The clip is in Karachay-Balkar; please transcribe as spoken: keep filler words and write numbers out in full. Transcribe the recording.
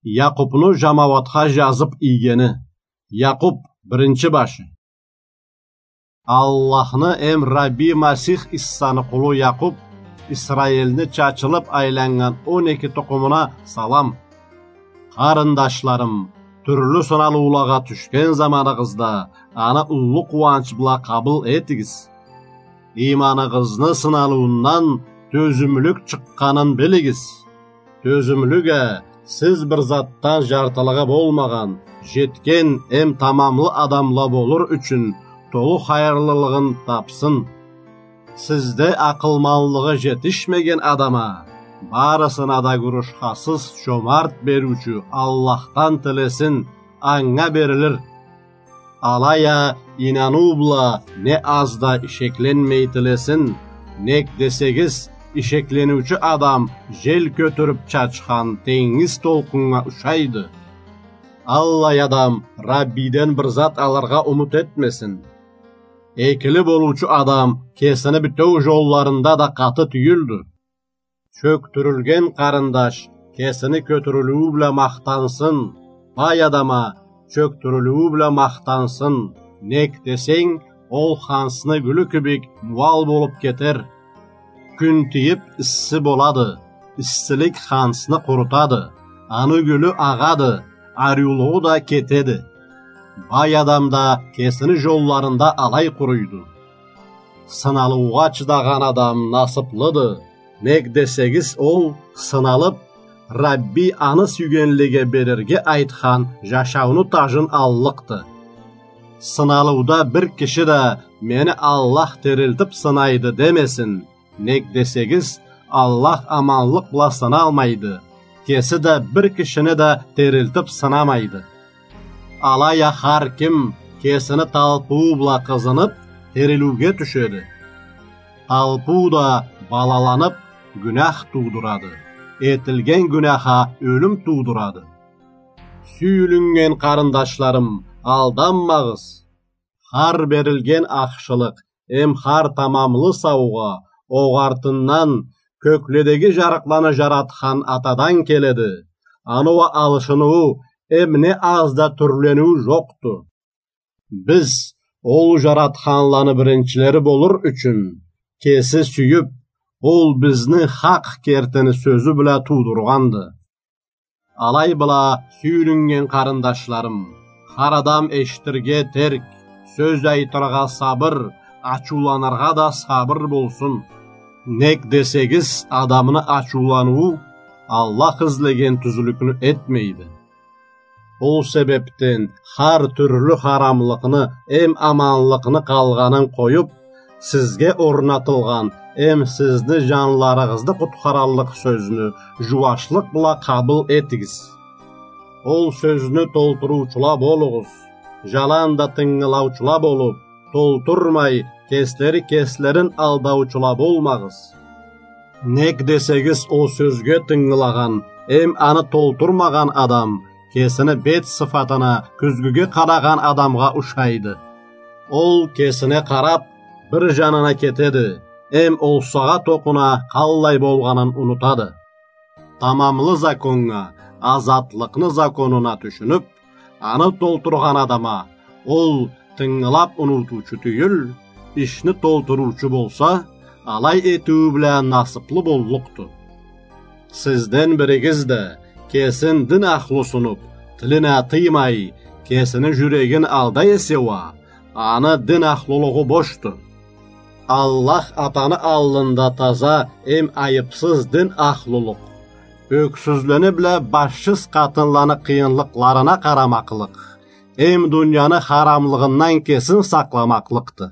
Якъубну жамауатха жазып ийгени. Якъуб, биринчи башы. Аллахны эм Рабби Масих Иссаны къулу Якъуб, Исраилни чачылып айланнган он эки тукъумуна салам. Къарындашларым, тюрлю сыналыулагъа тюшген заманыгъызда аны уллу къууанч бла къабыл этигиз. Ийманыгъызны сыналыуундан тёзюмлюк чыкъгъанын билигиз. Тёзюмлюк а, сиз бир затдан жартылыгъы болмагъан, жетген эм тамамлы адамла болур ючюн толу хайырлылыгъын тапсын. Сизде акъылманлыгъы жетишмеген адам а, барысына да гурушхасыз чомарт бериучю Аллахдан тилесин, анга берилир. Алай а ийнаныу бла не аз да ишекленмей тилесин, нек десегиз, ишеклениучю адам жел кётюрюп чачхан тенгиз толкъуннга ушайды. Аллай адам Раббиден бир зат алыргъа умут этмесин. Экили болуучу адам кесини битеу жолларында да къаты тюйюлдю. Чёктюрюлген къарындаш кесини кётюрюлюу бла махтансын, бай адам а чёктюрюлюу бла махтансын, нек десенг, ол хансны гюлю кибик муал болуп кетер. Кюн тийип исси болады, иссилик хансны къурутады, аны гюлю агъады, ариулугъу да кетеди. Бай адам да кесини жолларында алай къуруйду. Сыналыугъа чыдагъан адам насыплыды, нек десегиз, ол, сыналып, Рабби аны сюйгенлеге берирге айтхан жашауну тажын аллыкъды. Сыналыуда бир киши да: «Мени Аллах терилтип сынайды», — демесин, нек десегиз, Аллах аманлыкъ бла сыналмайды, кеси да бир кишини да терилтип сынамайды. Алай а хар ким кесини талпыуу бла къызынып, терилиуге тюшеди. Талпыу да балаланып, гюнях туудурады, этилген гюнях а ёлюм туудурады. Сюйюлюннген къарындашларым, алданмагъыз. Хар берилген ахшылыкъ эм хар тамамлы саугъа огъартындан, кёкледеги жарыкъланы жаратхан Атадан келеди. Аны уа алышыныуу эм не аз да тюрлениу жокъду. Биз ол жаратханланы биринчилери болур ючюн, кеси сюйюп, ол бизни хакъ кертини сёзю бла туудургъанды. Алай бла, сюйюлюннген къарындашларым, хар адам эшитирге терк, сёз айтыргъа сабыр, ачыуланыргъа да сабыр болсун. Нек десегиз, адамны ачыуланыуу Аллах излеген тюзлюкню этмейди. Ол себепден хар тюрлю харамлыкъны эм аманлыкъны къалгъанын къоюп, сизге орнатылгъан эм сизни жанларыгъызны къутхараллыкъ сёзню жууашлыкъ бла къабыл этигиз. Ол сёзню толтуруучула болугъуз, жаланда тынгылаучула болуп, толтурмай, кеслери кеслерин алдаучула болмагъыз. Нек десегиз, ол сёзге тынгылагъан эм аны толтурмагъан адам кесини бет сыфатына кюзгюге къарагъан адамгъа ушайды. Ол кесине къарап, бир жанына кетеди, эм ол сагъат окъуна къаллай болгъанын унутады. Тамамлы законнга, азатлыкъны законуна тюшюнюп, аны толтургъан адам а, ол тынгылап унутуучу тюйюл, ишни толтуруучу болса, алай этиу бла насыплы боллукъду. Сизден биригиз да, кесин дин ахлу сунуп, тилине тыймай, кесини жюрегин алдай эсе уа, аны дин ахлулугъу бошду. Аллах Атаны аллында таза эм айыпсыз дин ахлулукъ, ёксюзлени бла башсыз къатынланы къыйынлыкъларына къарамакълыкъ эм дунияны харамлыгъындан кесин сакъламакълыкъды.